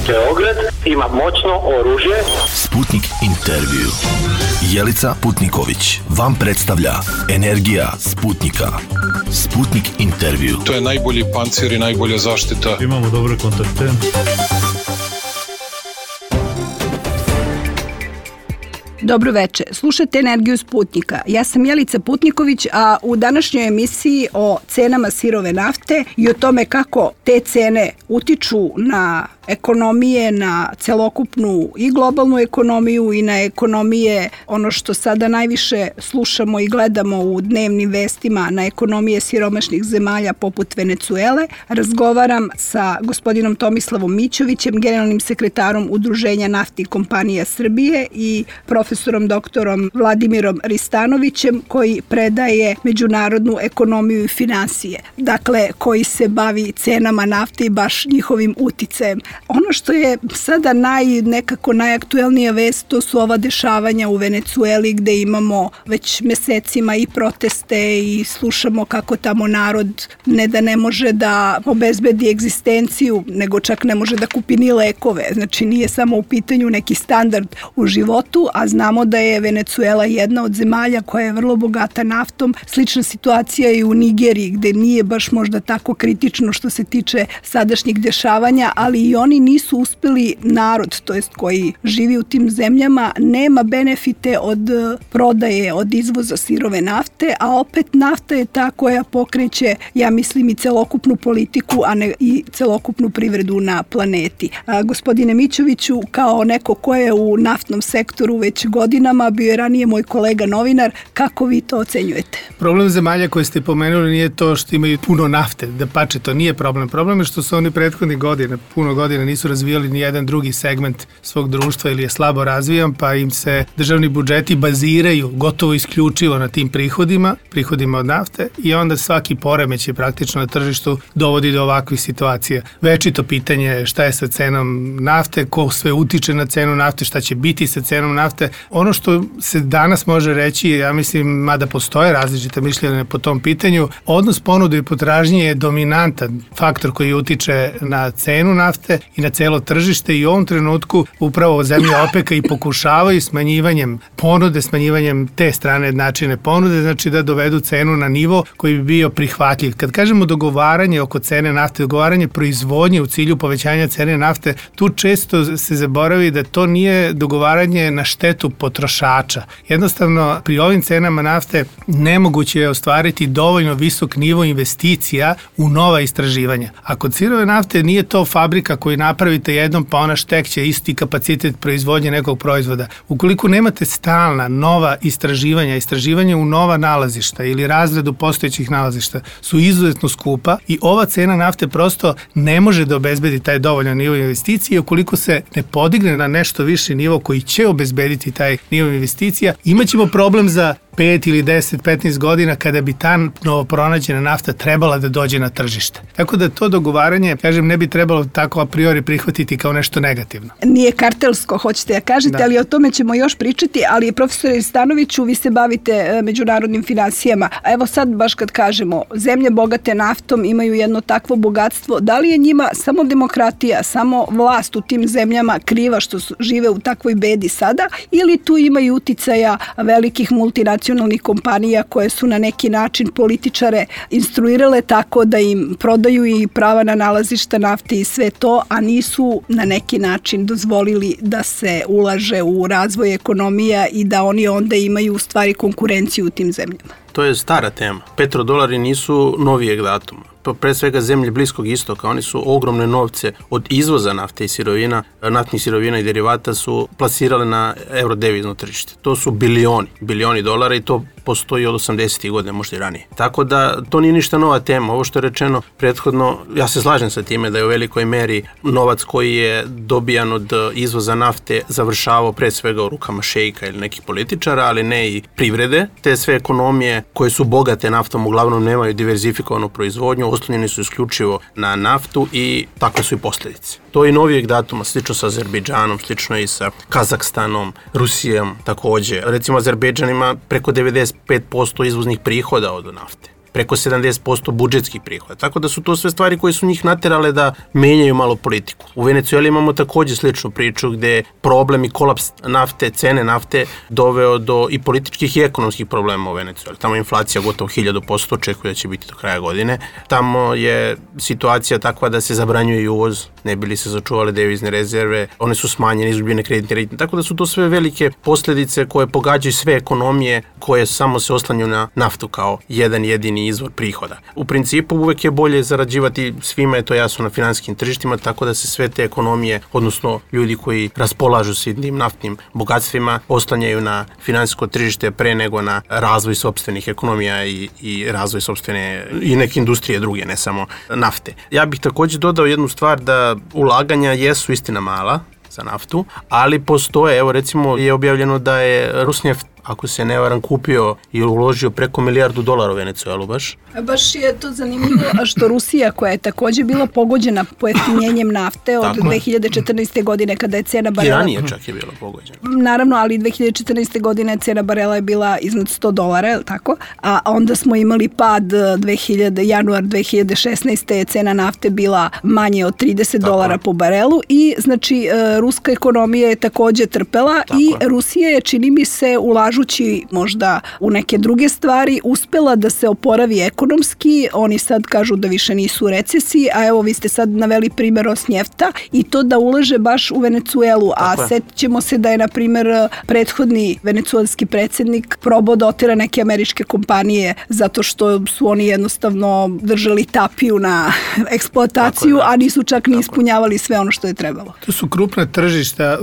Beograd ima moćno oružje. Sputnik intervju. Jelica Putniković vam predstavlja Energija Sputnika. Sputnik intervju. To je najbolji pancir i najbolja zaštita. Imamo dobre kontakte. Dobro veče, slušate Energiju Sputnika. Ja sam Jelica Putniković, a u današnjoj emisiji o cenama sirove nafte i o tome kako te cene utiču na ekonomije, na celokupnu i globalnu ekonomiju i na ekonomije, ono što sada najviše slušamo i gledamo u dnevnim vestima, na ekonomije siromašnih zemalja poput Venecuele. Razgovaram sa gospodinom Tomislavom Mićovićem, generalnim sekretarom Udruženja naftnih kompanija Srbije i profesorom doktorom Vladimirom Ristanovićem, koji predaje međunarodnu ekonomiju i finansije. Dakle, koji se bavi cenama nafte i baš njihovim uticajem. Ono što je sada nekako najaktuelnija vest, to su ova dešavanja u Venecueli gde imamo već mesecima i proteste i slušamo kako tamo narod ne da ne može da obezbedi egzistenciju, nego čak ne može da kupi ni lekove. Znači nije samo u pitanju neki standard u životu, a znamo da je Venecuela jedna od zemalja koja je vrlo bogata naftom. Slična situacija je i u Nigeriji gde nije baš možda tako kritično što se tiče sadašnjih dešavanja, ali i oni nisu uspeli, narod, to jest koji živi u tim zemljama, nema benefite od prodaje, od izvoza sirove nafte, a opet nafta je ta koja pokreće, ja mislim, i celokupnu politiku, a ne i celokupnu privredu na planeti. Gospodine Mićoviću, kao neko ko je u naftnom sektoru već godinama, bio je ranije moj kolega novinar, kako vi to ocenjujete? Problem zemalja koje ste pomenuli nije to što imaju puno nafte, da pače, to nije problem. Problem je što su oni prethodnih godina, puno godina nisu razvijali ni jedan drugi segment svog društva ili je slabo razvijan, pa im se državni budžeti baziraju gotovo isključivo na tim prihodima od nafte i onda svaki poremećaj praktično na tržištu dovodi do ovakvih situacija. Večito pitanje je šta je sa cenom nafte, ko sve utiče na cenu nafte, šta će biti sa cenom nafte. Ono što se danas može reći, ja mislim, mada postoje različite mišljenja po tom pitanju, odnos ponude i potražnje je dominantan faktor koji utiče na cenu nafte i na celo tržište i u ovom trenutku upravo zemlje OPEC-a i pokušavaju smanjivanjem ponude, smanjivanjem te strane načine ponude, znači da dovedu cenu na nivo koji bi bio prihvatljiv. Kad kažemo dogovaranje oko cene nafte, dogovaranje proizvodnje u cilju povećanja cene nafte, tu često se zaboravi da to nije dogovaranje na štetu potrošača. Jednostavno, pri ovim cenama nafte nemoguće je ostvariti dovoljno visok nivo investicija u nova istraživanja. A kod sirove nafte nije to fabrika koju napravite jednom pa ona štekće isti kapacitet proizvodnje nekog proizvoda. Ukoliko nemate stalna nova istraživanja u nova nalazišta ili razradu postojećih nalazišta su izuzetno skupa i ova cena nafte prosto ne može da obezbedi taj dovoljan nivo investicije. Ukoliko se ne podigne na nešto viši nivo koji će obezbediti taj nivo investicija, imaćemo problem za 5 ili 10, 15 godina kada bi ta novo pronađena nafta trebala da dođe na tržište. Tako da to dogovaranje, kažem, ne bi trebalo tako a priori prihvatiti kao nešto negativno. Nije kartelsko, hoćete da kažete, ali o tome ćemo još pričati, ali profesore Stanoviću, vi se bavite međunarodnim finansijama. A evo sad baš kad kažemo, zemlje bogate naftom imaju jedno takvo bogatstvo, da li je njima samo demokratija, samo vlast u tim zemljama kriva što žive u takvoj bedi sada, ili tu imaju uticaja velikih multinacionalnih kompanija koje su na neki način političare instruirale tako da im prodaju i prava na nalazišta nafte i sve to, a nisu na neki način dozvolili da se ulaže u razvoj ekonomija i da oni onda imaju u stvari konkurenciju u tim zemljama. To je stara tema. Petrodolari nisu novijeg datuma. Pre svega zemlje Bliskog istoka, oni su ogromne novce od izvoza nafte i sirovina, naftnih sirovina i derivata su plasirale na eurodevizno tržište. To su bilioni dolara i to postoji od 80. godina, možda i ranije. Tako da to nije ništa nova tema. Ovo što je rečeno prethodno, ja se slažem sa time da je u velikoj meri novac koji je dobijan od izvoza nafte završavao pre svega u rukama šejka ili nekih političara, ali ne i privrede. Te sve ekonomije koje su bogate naftom uglavnom nemaju diverzifikovanu proizvodnju, oslonjeni su isključivo na naftu i takve su i posljedice. To je i novijeg datuma, slično sa Azerbejdžanom, slično i sa Kazahstanom, Rusijom takođe. Recimo, Azerbejdžan ima preko 95% izvoznih prihoda od nafte. preko 70% budžetskih prihoda. Tako da su to sve stvari koje su njih naterale da menjaju malo politiku. U Venecueli imamo takođe sličnu priču gde problem i kolaps nafte, cene nafte doveo do i političkih i ekonomskih problema u Venecueli. Tamo je inflacija gotovo 1000%, očekuje da će biti do kraja godine. Tamo je situacija takva da se zabranjuje i uvoz, ne bi li se sačuvale devizne rezerve, one su smanjene, izgubljene kreditne rejtinge. Tako da su to sve velike posledice koje pogađaju sve ekonomije koje samo se oslanjaju na naftu kao jedan jedini izvor prihoda. U principu uvek je bolje zarađivati, svima je to jasno, na finansijskim tržištima, tako da se sve te ekonomije, odnosno ljudi koji raspolažu s tim naftnim bogatstvima, oslanjaju na finansijsko tržište pre nego na razvoj sopstvenih ekonomija i razvoj sopstvene i neke industrije druge, ne samo nafte. Ja bih takođe dodao jednu stvar, da ulaganja jesu istina mala za naftu, ali postoje, evo recimo je objavljeno da je Rusneft, ako se ne varam, kupio i uložio preko $1 milijardu u Venecuelu baš. Baš je to zanimljivo, što Rusija, koja je takođe bila pogođena pojeftinjenjem nafte od 2014. godine kada je cena barela... I ranije čak je bila pogođena. Naravno, ali 2014. godine cena barela je bila iznad $100, je li tako? A onda smo imali pad januar 2016. je cena nafte bila manje od $30 po barelu i znači ruska ekonomija je takođe trpela i Rusija je, čini mi se, ulažući možda u neke druge stvari, uspela da se oporavi ekonomski. Oni sad kažu da više nisu u recesiji, a evo vi ste sad naveli primjer Rosnjefta i to da ulaže baš u Venecuelu, a setićemo se da je, na primjer, prethodni venecuelski predsjednik probao da otera neke američke kompanije zato što su oni jednostavno držali tapiju na eksploataciju, a nisu čak ni ispunjavali sve ono što je trebalo. To su krupna tržišta,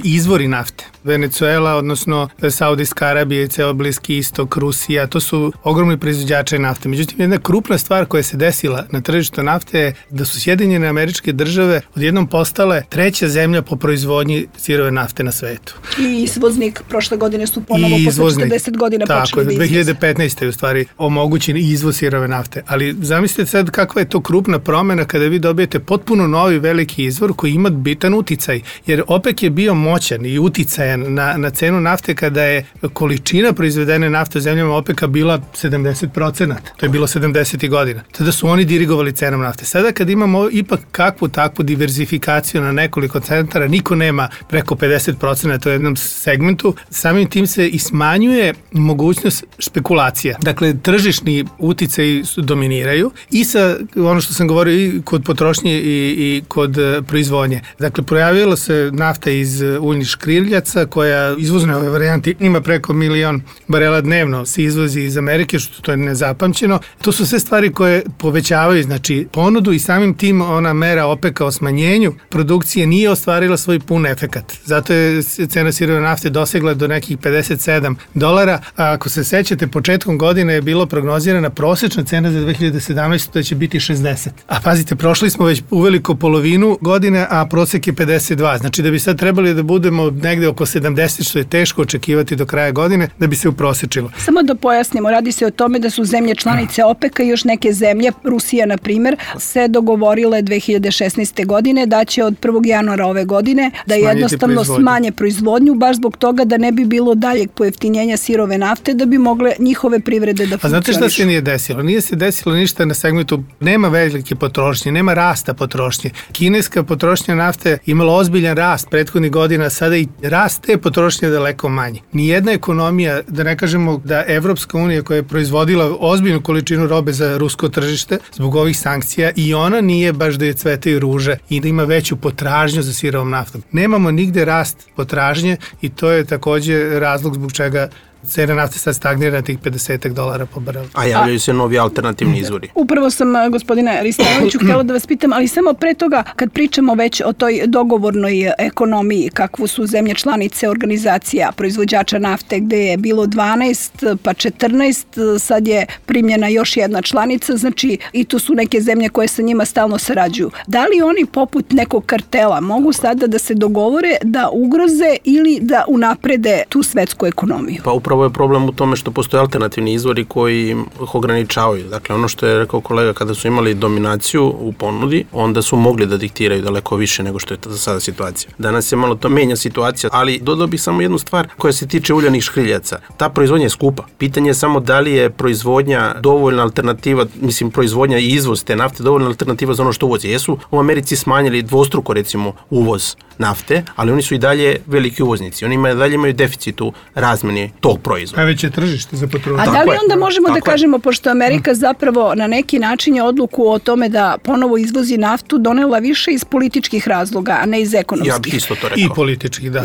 izvori nafte. Venecuela, odnosno Saudijska Arabija i ceo Bliski istok, Rusija, to su ogromni proizvođači nafte. Međutim, jedna krupna stvar koja se desila na tržištu nafte je da su Sjedinjene Američke Države odjednom postale treća zemlja po proizvodnji sirove nafte na svetu. I izvoznik, prošle godine su ponovo posle 40 godina počeli da izvoze. 2015. je u stvari omogućen izvoz sirove nafte. Ali zamislite sad kakva je to krupna promena kada vi dobijete potpuno novi veliki izvor koji ima bitan uticaj. Jer OPEC je bio moćan i uticajan na cenu nafte kada je količina proizvedene nafte u zemljama OPEC-a bila 70%. To je bilo 70. godina. Tada su oni dirigovali cenom nafte. Sada kad imamo ipak kakvu takvu diverzifikaciju na nekoliko centara, niko nema preko 50% u jednom segmentu, samim tim se i smanjuje mogućnost špekulacija. Dakle, tržišni uticaji dominiraju i sa ono što sam govorio i kod potrošnje i kod proizvodnje. Dakle, projavila se nafta iz uljnih škriljaca koja izvozna ove varijanti ima preko 1 milion barela dnevno se izvozi iz Amerike, što to je nezapamćeno. To su sve stvari koje povećavaju znači ponudu i samim tim ona mera OPEC-a o smanjenju produkcije nije ostvarila svoj pun efekat. Zato je cena sirove nafte dosegla do nekih $57, a ako se sećate, početkom godine je bilo prognozirana prosečna cena za 2017. da će biti 60. A pazite, prošli smo već uveliko polovinu godine, a prosek je 52. Znači da bi sad trebali da budemo negde oko 70, što je teško očekivati do kraja godine, da bi se uprosečilo. Samo da pojasnimo, radi se o tome da su zemlje članice OPEC-a i još neke zemlje, Rusija na primjer, se dogovorile 2016. godine da će od 1. januara ove godine da jednostavno smanje proizvodnju, baš zbog toga da ne bi bilo daljeg pojeftinjenja sirove nafte, da bi mogle njihove privrede da funkcionišu. A znate šta se nije desilo? Nije se desilo ništa na segmentu, nema velike potrošnje, nema rasta potrošnje. Kineska potrošnja nafte imala ozbiljan rast prethodnih godina, sada i rast te potrošnje daleko manje. Nijedna ekonomija, da ne kažemo da Evropska unija koja je proizvodila ozbiljnu količinu robe za rusko tržište zbog ovih sankcija, i ona nije baš da je cvetaju ruže i da ima veću potražnju za sirovom naftom. Nemamo nigde rast potražnje i to je takođe razlog zbog čega cena nafte sad stagnira na tih $50 po barelu. A javljaju se novi alternativni izvori. Upravo sam, gospodine Ristanoviću, htjela da vas pitam, ali samo pre toga, kad pričamo već o toj dogovornoj ekonomiji, kakvu su zemlje članice organizacija proizvođača nafte, gde je bilo 12, pa 14, sad je primljena još jedna članica, znači i tu su neke zemlje koje sa njima stalno sarađuju. Da li oni poput nekog kartela mogu sada da se dogovore da ugroze ili da unaprede tu svetsku ekonomiju? Pa upravo je problem u tome što postoje alternativni izvori koji ih ograničavaju. Dakle, ono što je rekao kolega, kada su imali dominaciju u ponudi, onda su mogli da diktiraju daleko više nego što je za sada situacija. Danas se malo to menja situacija, ali dodao bih samo jednu stvar koja se tiče uljanih škriljaca. Ta proizvodnja je skupa. Pitanje je samo da li je proizvodnja dovoljna alternativa, mislim proizvodnja i izvoz te nafte dovoljna alternativa za ono što uvozi. Jesu u Americi smanjili dvostruko recimo uvoz nafte, ali oni su i dalje veliki uvoznici. Oni dalje imaju deficit u razmeni tog proizvoda. Najveće tržište za potrošnju. A da li onda možemo da kažemo, pošto Amerika zapravo na neki način je odluku o tome da ponovo izvozi naftu donela više iz političkih razloga, a ne iz ekonomskih? Ja bih isto to rekao. I političkih, da.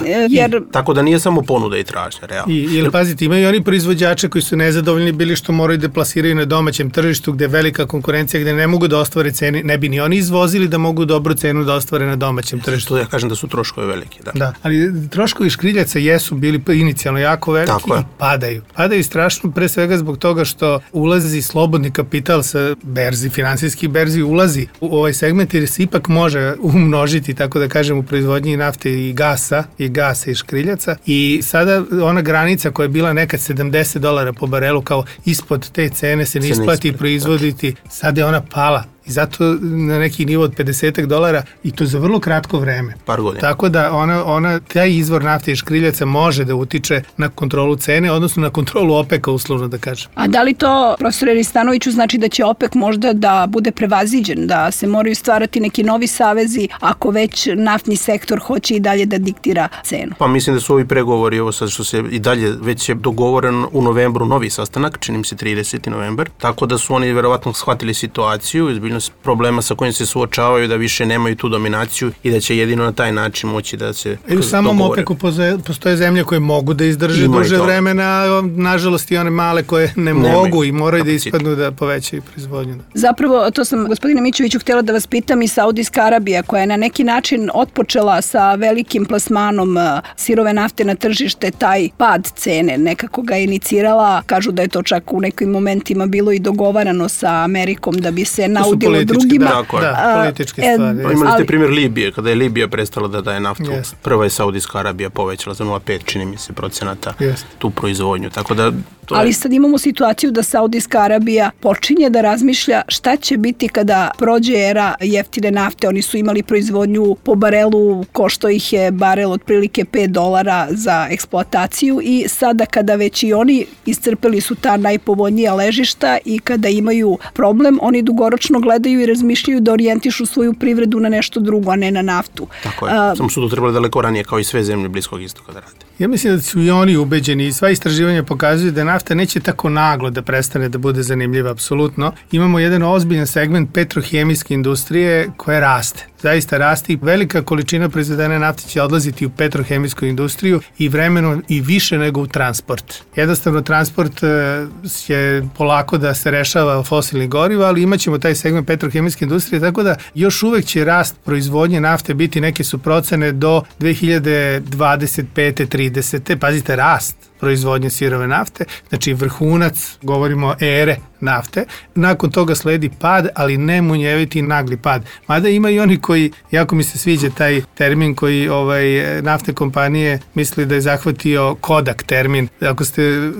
Tako da nije samo ponuda i tražnja, realno. Ili pazite, imaju oni proizvođače koji su nezadovoljni bili što moraju da plasiraju na domaćem tržištu gde je velika konkurencija, gde ne mogu da ostvare cene, ne bi ni oni izvozili da mogu dobru cenu da ostvare na domaćem tržištu. Ja kažem da su troškovi veliki, da. Da, ali troškovi škriljaca jesu bili inicijalno jako veliki i padaju. Padaju strašno pre svega zbog toga što ulazi slobodni kapital sa berzi, finansijski berzi ulazi u ovaj segment jer se ipak može umnožiti, tako da kažem, u proizvodnji nafte i gasa i škriljaca i sada ona granica koja je bila nekad $70 po barelu kao ispod te cene se ne isplati proizvoditi, sada je ona pala. I zato na neki nivo od $50 i to za vrlo kratko vreme. Par godina. Tako da taj izvor nafte i škriljaca može da utiče na kontrolu cene, odnosno na kontrolu OPEC-a, uslovno da kažem. A da li to, profesore Ristanoviću, znači da će OPEC možda da bude prevaziđen, da se moraju stvarati neki novi savezi ako već naftni sektor hoće i dalje da diktira cenu? Pa mislim da su ovi pregovori, ovo sad što se i dalje već je dogovoren u novembru novi sastanak, čini mi se 30. novembar, tako da su oni verovatno shvatili situaciju, problema sa kojim se suočavaju, da više nemaju tu dominaciju i da će jedino na taj način moći da se dogovore. I u samom OPEC-u postoje zemlje koje mogu da izdrže duže vremena, nažalost i one male koje ne mogu i moraju da ispadnu da povećaju proizvodnju. Zapravo, to sam, gospodine Mićeviću, htjela da vas pitam, i Saudijska Arabija, koja je na neki način otpočela sa velikim plasmanom sirove nafte na tržište, taj pad cene nekako ga inicirala, kažu da je to čak u nekim momentima bilo i dogovarano sa Amerikom da bi se naudilo drugima. Da, političke stvari. Imali ste primjer Libije, kada je Libija prestala da daje naftu. Prva je Saudijska Arabija povećala za 0,5, čini mi se, procenata tu proizvodnju. Tako da ali sad imamo situaciju da Saudijska Arabija počinje da razmišlja šta će biti kada prođe era jeftine nafte. Oni su imali proizvodnju po barelu, košto ih je barel otprilike $5 za eksploataciju i sada kada već i oni iscrpeli su ta najpovoljnija ležišta i kada imaju problem, oni dugoročno gledaju i razmišljaju da orijentišu svoju privredu na nešto drugo, a ne na naftu. Tako je. Samo su to trebali daleko ranije kao i sve zemlje Bliskog istoka da rade. Ja mislim da su i oni ubeđeni i sva istraživanja pokazuju da nafta neće tako naglo da prestane da bude zanimljiva, apsolutno. Imamo jedan ozbiljan segment petrohemijske industrije koja raste. Zaista raste i velika količina proizvedene nafte će odlaziti u petrohemijsku industriju i vremenom i više nego u transport. Jednostavno, transport će polako da se rešava fosilnih goriva, ali imaćemo taj segment petrohemijske industrije, tako da još uvek će rast proizvodnje nafte biti, neke su procene, do 2025. 30. Pazite, rast proizvodnje sirove nafte, znači vrhunac, govorimo o ere nafte. Nakon toga sledi pad, ali ne munjeviti nagli pad. Mada ima i oni koji, jako mi se sviđa taj termin koji naftne kompanije misli da je zahvatio Kodak termin. Ako ste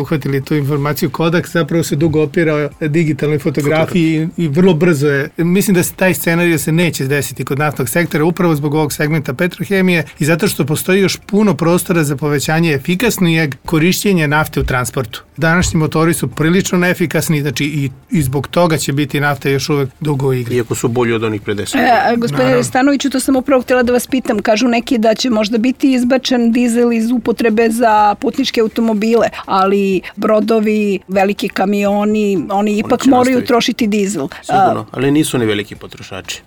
uhvatili tu informaciju, Kodak zapravo se dugo opirao digitalnoj fotografiji i vrlo brzo je. Mislim da se taj scenarij se neće desiti kod naftnog sektora upravo zbog ovog segmenta petrohemije i zato što postoji još puno prostora za povećanje efikasnijeg korišćenja nafte u transportu. Današnji motori su prilično neefikasni, znači i zbog toga će biti nafta još uvek dugo u igri. Iako su bolji od onih pre 10. Gospodine Ristanoviću, to sam upravo htjela da vas pitam. Kažu neki da će možda biti izbačen dizel iz upotrebe za putničke automobile, ali brodovi, veliki kamioni, oni ipak moraju trošiti dizel. Sigurno, ali nisu ni veliki potrošači.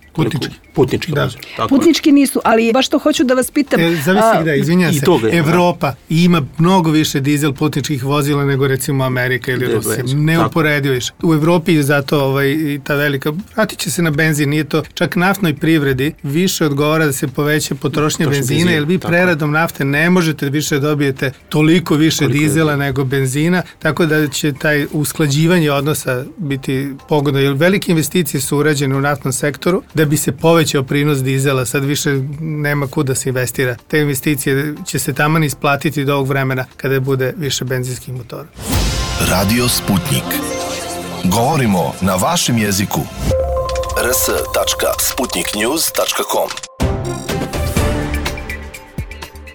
Putnički. Da. Putnički nisu, ali baš to hoću da vas pitam. Zavisi gde, izvinjam se. Evropa ima mnogo više dizel putničkih vozila nego recimo Amerika ili Rusija. Neuporedivo više. U Evropi je zato i ta velika, vratit će se na benzin, nije to čak naftnoj privredi više odgovara da se poveća potrošnja benzina, jer vi preradom nafte ne možete više dobijete toliko više dizela nego benzina, tako da će taj usklađivanje odnosa biti pogodno, jer velike investicije su urađene u naftnom sektoru da bi se povećao prinos dizela, sad više nema kuda se investira. Te investicije će se taman isplatiti do ovog vremena kada bude više benzinskih motora. Radio Sputnik. Govorimo na vašem jeziku. rs.sputniknews.com.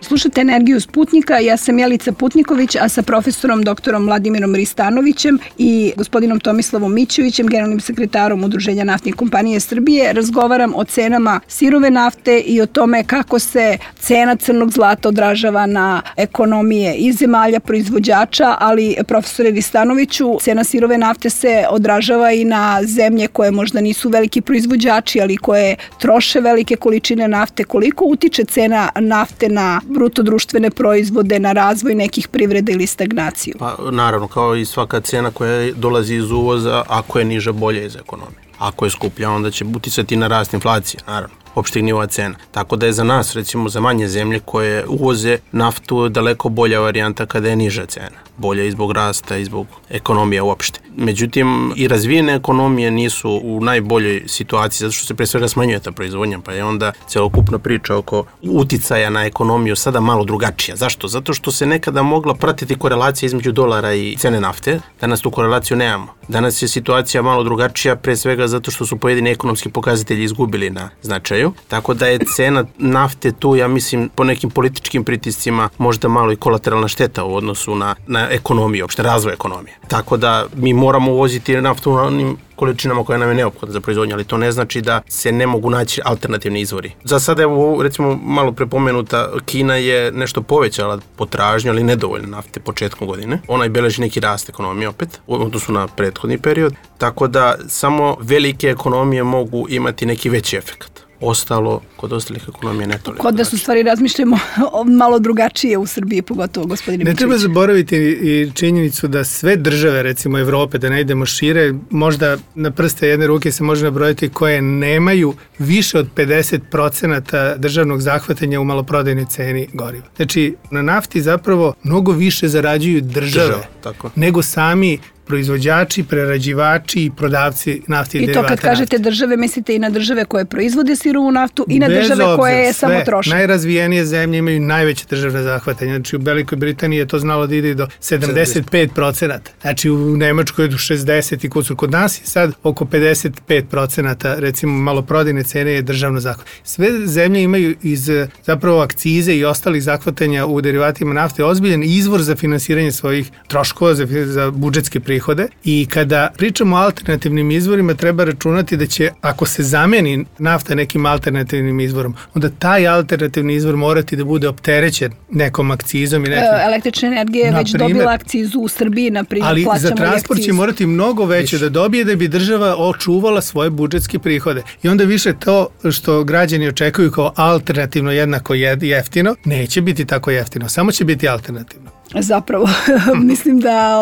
Slušate Energiju Sputnika, ja sam Jelica Putniković, a sa profesorom doktorom Vladimirom Ristanovićem i gospodinom Tomislavom Mićevićem, generalnim sekretarom Udruženja naftnih kompanije Srbije, razgovaram o cenama sirove nafte i o tome kako se cena crnog zlata odražava na ekonomije i zemalja proizvođača, ali profesore Ristanoviću, cena sirove nafte se odražava i na zemlje koje možda nisu veliki proizvođači, ali koje troše velike količine nafte. Koliko utiče cena nafte na bruto društvene proizvode, na razvoj nekih privreda ili stagnaciju? Pa naravno, kao i svaka cena koja dolazi iz uvoza, ako je niža, bolje iz ekonomije. Ako je skuplja, onda će uticati na rast inflacije, naravno, opštih nivoa cena. Tako da je za nas, recimo za manje zemlje koje uvoze naftu, daleko bolja varijanta kada je niža cena. Bolja i zbog rasta i zbog ekonomije uopšte. Međutim, i razvijene ekonomije nisu u najboljoj situaciji, zato što se pre svega smanjuje ta proizvodnja, pa je onda celokupna priča oko uticaja na ekonomiju sada malo drugačija. Zašto? Zato što se nekada mogla pratiti korelacija između dolara i cene nafte. Danas tu korelaciju nemamo. Danas je situacija malo drugačija, pre svega zato što su pojedini ekonomski pokazatelji izgubili na značaju. Tako da je cena nafte tu, ja mislim, po nekim političkim pritiscima možda malo i kolateralna šteta u odnosu na ekonomiju, opšte razvoj ekonomije. Tako da mi moramo uvoziti naftu na onim količinama koja nam je neophodna za proizvodnju, ali to ne znači da se ne mogu naći alternativni izvori. Za sada, evo, recimo, malo prepomenuta, Kina je nešto povećala potražnju, ali nedovoljno nafte početkom godine. Ona i beleži neki rast ekonomije opet, u odnosu na prethodni period, tako da samo velike ekonomije mogu imati neki veći efekt. Ostalo, kod ostalih ekonomija ne toliko. Kod da su stvari razmišljamo malo drugačije u Srbiji, pogotovo gospodine Mićević. Ne treba zaboraviti i činjenicu da sve države, recimo Evrope, da ne idemo šire, možda na prste jedne ruke se može nabrojati koje nemaju više od 50% državnog zahvatanja u maloprodajnoj ceni goriva. Znači, na nafti zapravo mnogo više zarađuju države nego sami proizvođači, prerađivači i prodavci nafte i derivata nafte. I to kad kažete države, mislite i na države koje proizvode sirovu naftu i na države koje je samo troše? Najrazvijenije zemlje imaju najveće državne zahvatanje. Znači u Velikoj Britaniji je to znalo da ide do 75%. Znači u Nemačkoj je do 60 i kusur. Kod nas je sad oko 55%, recimo maloprodajne cene je državno zahvatanje. Sve zemlje imaju iz zapravo akcize i ostalih zahvatanja u derivatima nafte ozbiljan izvor za finansiranje svojih troškova, za budžetske prihode. I kada pričamo o alternativnim izvorima, treba računati da će, ako se zameni nafta nekim alternativnim izvorom, onda taj alternativni izvor morati da bude opterećen nekom akcizom. I nekim, električna energija je već dobila akcizu u Srbiji, na primjer, ali plaćamo za transport će morati mnogo veće da dobije da bi država očuvala svoje budžetske prihode. I onda više to što građani očekuju kao alternativno jednako jeftino, neće biti tako jeftino, samo će biti alternativno. Zapravo, mislim da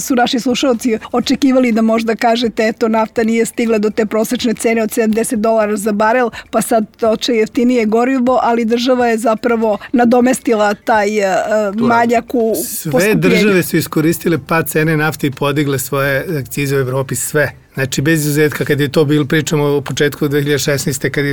su naši slušalci očekivali da možda kažete eto, nafta nije stigla do te prosečne cene od $70 za barel, pa sad toče jeftinije gorivo, ali država je zapravo nadomestila taj manjak u poskupljenju. Sve države su iskoristile pad cene nafte i podigle svoje akcize u Evropi, sve. Znači, bez izuzetka, kad je to bilo, pričamo o početku 2016. kad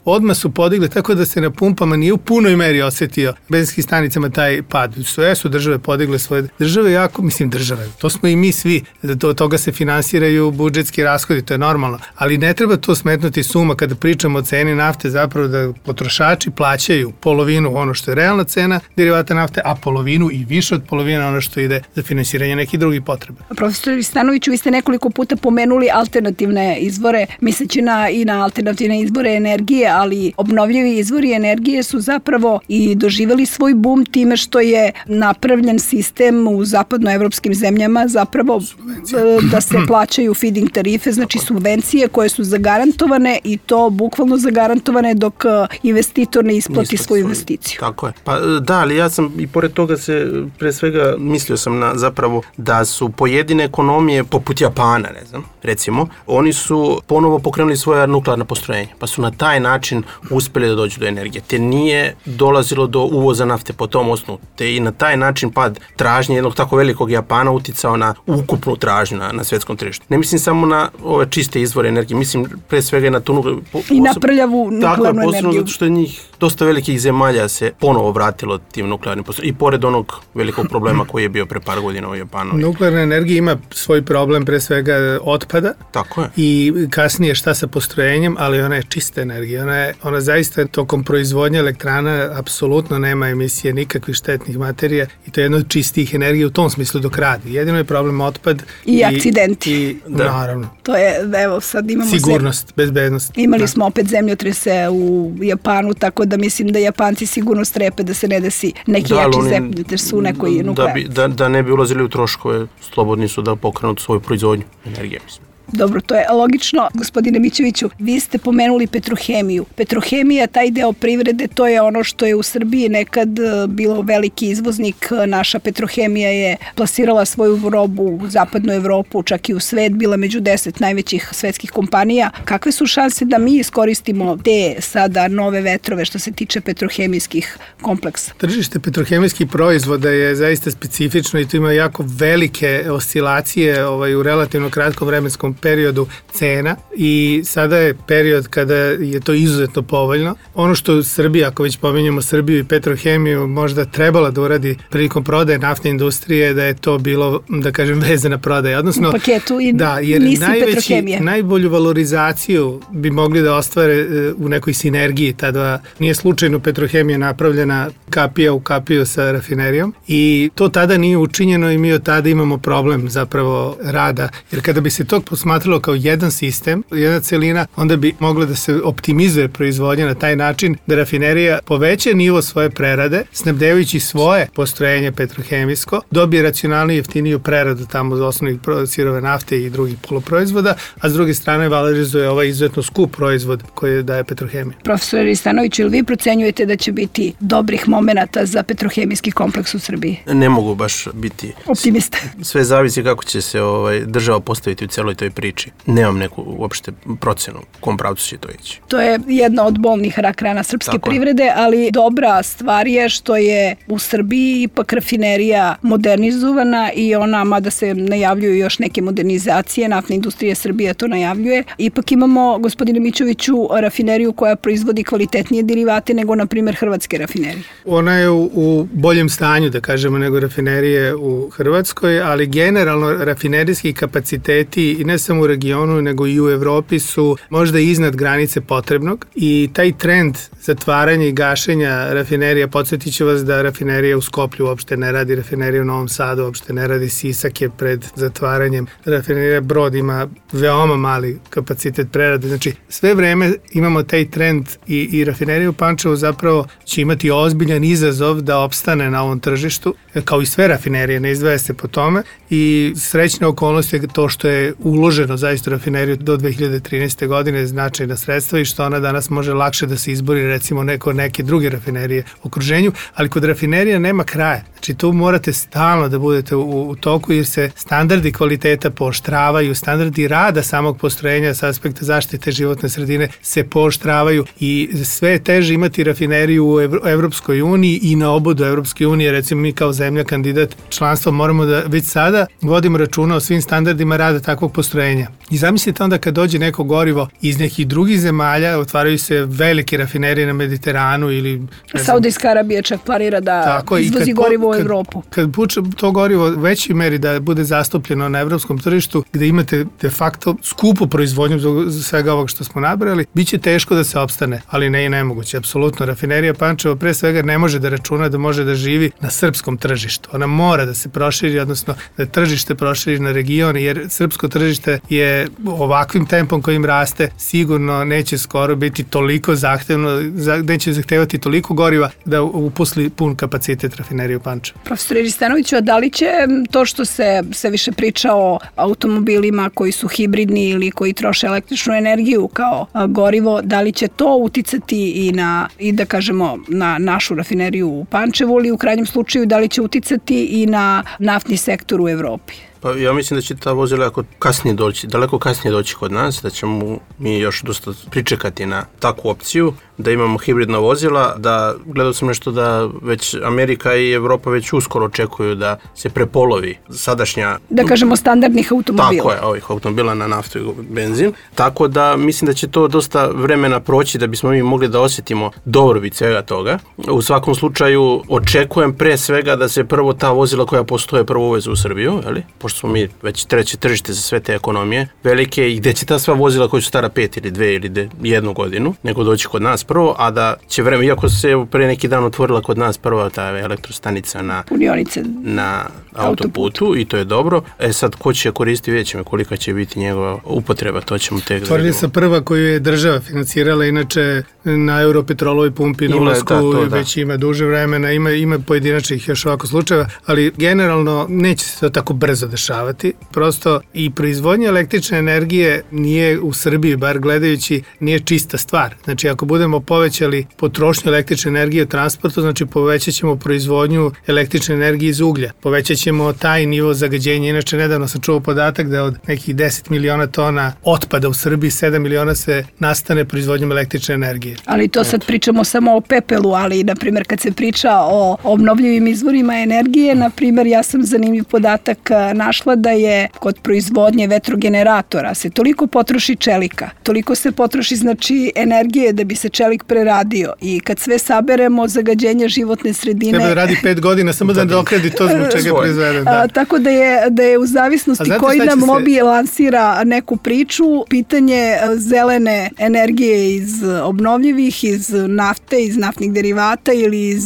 odmah su podigli, tako da se na pumpama nije u punoj meri osetio benzinskim stanicama taj pad. Sve su države podigle svoje. Države jako, države, to smo i mi svi, od toga se finansiraju budžetski rashodi, to je normalno, ali ne treba to smetnuti suma kada pričamo o ceni nafte, zapravo da potrošači plaćaju polovinu ono što je realna cena derivata nafte, a polovinu i više od polovine ono što ide za finansiranje nekih drugih potreba. Profesor Ristanoviću, vi ste nekoliko puta pomenuli alternativne izvore, misleći i na alternativne izvore energije, ali obnovljivi izvori energije su zapravo i doživjeli svoj bum time što je napravljen sistem u zapadnoevropskim zemljama zapravo da se plaćaju feed-in tarife, znači subvencije koje su zagarantovane i to bukvalno zagarantovane dok investitor ne isplati svoju investiciju. Tako je. Pa da, ali ja sam i pored toga pre svega mislio sam na zapravo da su pojedine ekonomije poput Japana, ne znam, recimo, oni su ponovo pokrenuli svoja nuklearna postrojenja, pa su na taj način uspeli da dođu do energije. Te nije dolazilo do uvoza nafte po tom osnovu, te i na taj način pad tražnje jednog tako velikog Japana uticao na ukupnu tražnju na svetskom tržištu. Ne mislim samo na ove čiste izvore energije, mislim pre svega na tu i na prljavu nuklearnu energiju. Zato što je njih dosta velikih zemalja se ponovo vratilo tim nuklearnim postrojenjima i pored onog velikog problema koji je bio pre par godina u Japanu. Nuklearna energija ima svoj problem pre svega otpada. Tako je. I kasnije šta sa postrojenjem, ali ona je čista energija. Ona zaista tokom proizvodnje elektrana apsolutno nema emisije nikakvih štetnih materija i to je jedna od čistih energija u tom smislu dok radi. Jedino je problem otpad i akcidenti. Naravno. To je, evo sad imamo sigurnost, bezbednost. Imali smo opet zemljotrese u Japanu, tako da mislim da Japanci sigurno strepe da se ne desi neki jači zemljotres su u nekoj nuklearni. Da ne bi ulazili u troškove, slobodni su da pokrenu svoju proizvodnju energije, mislim. Dobro, to je logično. Gospodine Mićeviću, vi ste pomenuli petrohemiju. Petrohemija, taj deo privrede, to je ono što je u Srbiji nekad bilo veliki izvoznik. Naša petrohemija je plasirala svoju robu u zapadnu Evropu, čak i u svet, bila među 10 najvećih svetskih kompanija. Kakve su šanse da mi iskoristimo te sada nove vetrove što se tiče petrohemijskih kompleksa? Tržište petrohemijskih proizvoda je zaista specifično i tu ima jako velike oscilacije u relativno kratkom vremenskom periodu cena i sada je period kada je to izuzetno povoljno. Ono što Srbija, ako već pominjamo Srbiju i petrohemiju, možda trebala da uradi prilikom prodaje naftne industrije, da je to bilo, da kažem, vezana prodaja. Odnosno, u paketu i jer petrohemije. Najbolju valorizaciju bi mogli da ostvare u nekoj sinergiji. Tada nije slučajno petrohemija napravljena kapija u kapiju sa rafinerijom i to tada nije učinjeno i mi od tada imamo problem zapravo rada. Jer kada bi se to posmatralo kao jedan sistem, jedna celina, onda bi mogla da se optimizuje proizvodnja na taj način da rafinerija poveća nivo svoje prerade, snabdevajući svoje postrojenje petrohemijsko, dobije racionalniju i jeftiniju preradu tamo za osnovnih sirove nafte i drugih poluproizvoda, a s druge strane valorizuje ovaj izuzetno skup proizvod koji daje petrohemija. Profesor Ristanović, ili vi procenjujete da će biti dobrih momenata za petrohemijski kompleks u Srbiji? Ne mogu baš biti optimista. Sve zavisi kako će se država postaviti u celoj toj priči. Nemam neku uopšte procenu u kom pravcu će to ići. To je jedna od bolnih rak rana srpske privrede, ali dobra stvar je što je u Srbiji ipak rafinerija modernizovana i ona, mada se najavljuju još neke modernizacije, naftna industrija Srbije to najavljuje, ipak imamo, gospodine Mićeviću, rafineriju koja proizvodi kvalitetnije derivate nego, na primjer, hrvatske rafinerije. Ona je u boljem stanju, da kažemo, nego rafinerije u Hrvatskoj, ali generalno rafinerijski kapaciteti i ne samo u regionu, nego i u Evropi su možda iznad granice potrebnog i taj trend zatvaranja i gašenja rafinerija, podsjetit ću vas da rafinerija u Skoplju uopšte ne radi, rafinerija u Novom Sadu uopšte ne radi, Sisak je pred zatvaranjem, rafinerija Brod ima veoma mali kapacitet prerade, znači sve vreme imamo taj trend i rafinerija u Pančevu zapravo će imati ozbiljan izazov da opstane na ovom tržištu, kao i sve rafinerije, ne izdvaja se po tome i srećna okolnost je to što je uloženo zaista rafineriju do 2013. godine značajna sredstva i što ona danas može lakše da se izbori recimo neke druge rafinerije u okruženju, ali kod rafinerija nema kraja. Znači tu morate stalno da budete u toku jer se standardi kvaliteta pooštravaju, standardi rada samog postrojenja sa aspekta zaštite životne sredine se pooštravaju i sve je teže imati rafineriju u Evropskoj uniji i na obodu Evropske unije. Recimo mi kao zemlja kandidat članstva moramo da već sada vodimo računa o svim standardima rada takvog postrojenja. I zamislite onda kad dođe neko gorivo iz nekih drugih zemalja, otvaraju se velike rafinerije na Mediteranu ili... Saudijska Arabija čak planira da izvozi gorivo u Evropu. Kad puče to gorivo u većoj meri da bude zastupljeno na evropskom tržištu, gde imate de facto skupu proizvodnju za svega ovog što smo nabrali, bit će teško da se opstane, ali ne i nemoguće. Apsolutno, rafinerija Pančevo pre svega ne može da računa da može da živi na srpskom tržištu. Ona mora da se proširi, odnosno da tržište proširi na region, jer srpsko tržište je ovakvim tempom kojim raste sigurno neće skoro biti toliko zahtevno, neće zahtevati toliko goriva da uposli pun kapacitet rafinerije u Pančevu. Profesor Ristanoviću, a da li će to što se više priča o automobilima koji su hibridni ili koji troše električnu energiju kao gorivo, da li će to uticati i da kažemo na našu rafineriju u Pančevu ili u krajnjem slučaju da li će uticati i na naftni sektor u Evropi? Pa ja mislim da će ta vozila daleko kasnije doći kod nas, da ćemo mi još dosta pričekati na takvu opciju, da imamo hibridna vozila, da gledao sam nešto da već Amerika i Evropa već uskoro očekuju da se prepolovi sadašnja... Da kažemo standardnih automobila. Tako je, ovih automobila na naftu i benzin. Tako da mislim da će to dosta vremena proći da bismo mi mogli da osjetimo dobrobit svega toga. U svakom slučaju očekujem pre svega da se prvo ta vozila koja postoje prvo uveze u Srbiju, pošto smo mi već treće tržište za sve te ekonomije velike i gde će ta sva vozila koja su stara 5 ili 2 ili 1 godinu, nego doći kod nas prvo, a da će vreme, iako se pre neki dan otvorila kod nas prva ta elektrostanica na autoputu i to je dobro. Sad, ko će koristiti, vidjet ćemo kolika će biti njegova upotreba, to ćemo tek da vidimo. Otvorili se prva koju je država financirala, inače na Europetrolovoj pumpi na ulasku već ima duže vremena, ima pojedinačnih još ovako slučajeva, ali generalno neće se to tako brzo dešavati. Prosto i proizvodnja električne energije nije u Srbiji, bar gledajući, nije čista stvar. Znači, ako budemo povećali potrošnju električne energije u transportu, znači povećat ćemo proizvodnju električne energije iz uglja. Povećat ćemo taj nivo zagađenja. Inače, nedavno sam čuo podatak da od nekih 10 miliona tona otpada u Srbiji, 7 miliona se nastane proizvodnjom električne energije. Ali to sad pričamo samo o pepelu, ali, na primjer, kad se priča o obnovljivim izvorima energije, na primjer, ja sam zanimljiv podatak našla da je kod proizvodnje vetrogeneratora se toliko potroši čelika, toliko se potroši, znači, energije da bi se čelik preradio i kad sve saberemo, zagađenje životne sredine... Treba da radi 5 godina, samo da dokradi to zbog čega je proizveden. Tako da je u zavisnosti koji nam lobby lansira neku priču, pitanje zelene energije iz obnovljivih, iz nafte, iz naftnih derivata ili iz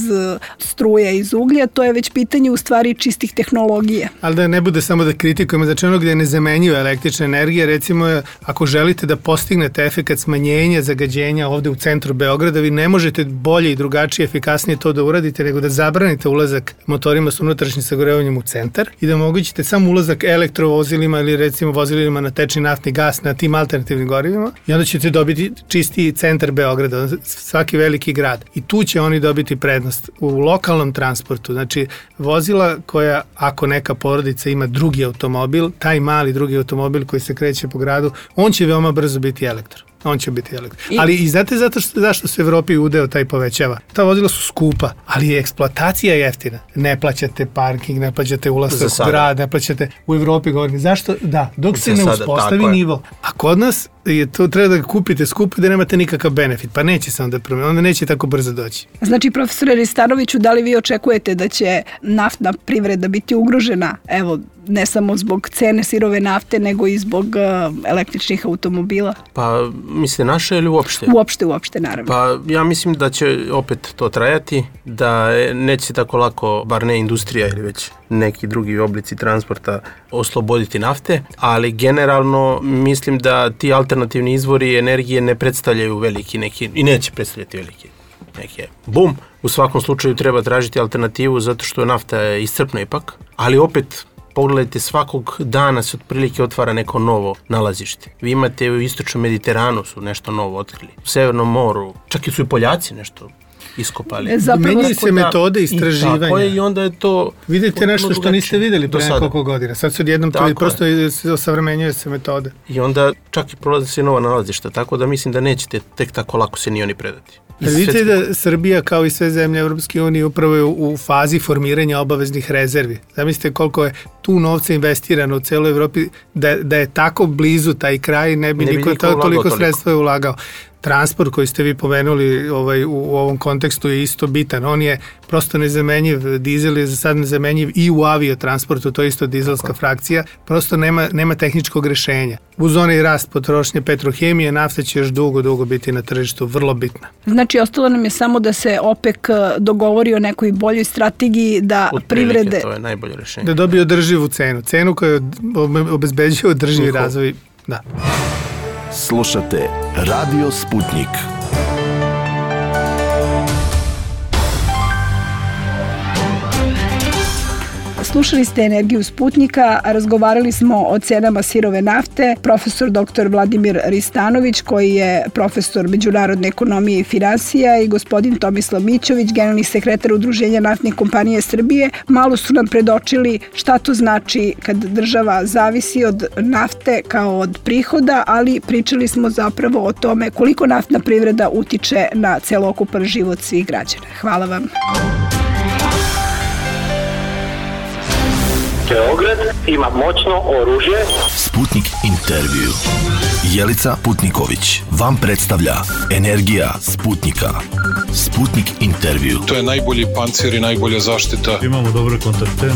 struje, iz uglja, to je već pitanje u stvari čistih tehnologija. Ali da ne bude samo da kritikujemo, znači ono gde je nezamenjiva električna energija, recimo ako želite da postignete efekat smanjenja zagađenja ovde u centru Beograda, vi ne možete bolje i drugačije, efikasnije to da uradite nego da zabranite ulazak motorima s unutrašnjim sagorevanjem u centar i da omogućite samo ulazak elektrovozilima ili recimo vozilima na tečni naftni gas na tim alternativnim gorivima i onda ćete dobiti čistiji centar Beograda, svaki veliki grad. I tu će oni dobiti prednost u lokalnom transportu. Znači, vozila koja, ako neka porodica ima drugi automobil, taj mali drugi automobil koji se kreće po gradu, on će veoma brzo biti elektro. On će biti elektro. Ali i znate zašto se u Evropi udeo taj povećava? Ta vozila su skupa, ali je eksploatacija jeftina. Ne plaćate parking, ne plaćate ulazak u grad, ne plaćate u Evropi, govorim. Zašto? Da, dok se ne uspostavi nivo. A kod nas je to treba da kupite skupo da nemate nikakav benefit, pa neće se onda promeniti, onda neće tako brzo doći. Znači, profesore Ristanoviću, da li vi očekujete da će naftna privreda biti ugrožena, evo, ne samo zbog cene sirove nafte, nego i zbog električnih automobila? Pa, misle naše ili uopšte? Uopšte, naravno. Pa, ja mislim da će opet to trajati, da neće tako lako, bar ne industrija ili već neki drugi oblici transporta osloboditi nafte, ali generalno mislim da ti alternativni izvori energije ne predstavljaju veliki neki, i neće predstavljati veliki neki bum. U svakom slučaju treba tražiti alternativu zato što nafta je iscrpna ipak, ali opet pogledajte, svakog dana se otprilike otvara neko novo nalazište. Vi imate u istočnom Mediteranu su nešto novo otkrili, u Severnom moru, čak i su i Poljaci nešto iskopali. Menjaju se metode istraživanja. I tako je, i onda je to... Vidite nešto što niste videli pre nekoliko godina. Sad se odjednom to prosto osavremenjuje se metode. I onda čak i prolaze se nova nalazišta, tako da mislim da nećete tek tako lako se ni oni predati. Vidite da Srbija, kao i sve zemlje Evropske unije, upravo je u fazi formiranja obaveznih rezervi. Zamislite koliko je tu novca investirano u celoj Evropi, da je tako blizu taj kraj, ne bi niko toliko sredstva ulagao. Transport koji ste vi pomenuli u ovom kontekstu je isto bitan. On je prosto nezamenjiv. Dizel je za sad nezamenjiv i u aviotransportu, to je isto dizelska frakcija. Prosto nema tehničkog rešenja. Uz onaj rast potrošnje petrohemije, nafta će još dugo biti na tržištu, vrlo bitna. Znači, ostalo nam je samo da se OPEC dogovori o nekoj boljoj strategiji da privrede... To je najbolje rešenje. Da dobije održivu cenu koja obezbeđuje održivi razvoj. Da. Slušate Radio Sputnik. Slušali ste Energiju Sputnika, razgovarali smo o cenama sirove nafte. Profesor dr. Vladimir Ristanović, koji je profesor međunarodne ekonomije i finansija, i gospodin Tomislav Mićović, generalni sekretar Udruženja naftnih kompanija Srbije, malo su nam predočili šta to znači kad država zavisi od nafte kao od prihoda, ali pričali smo zapravo o tome koliko naftna privreda utiče na celokupan život svih građana. Hvala vam. Beograd ima moćno oružje. Sputnik intervju. Jelica Putniković vam predstavlja Energija Sputnika. Sputnik intervju. To je najbolji pancir i najbolja zaštita. Imamo dobre kontakte.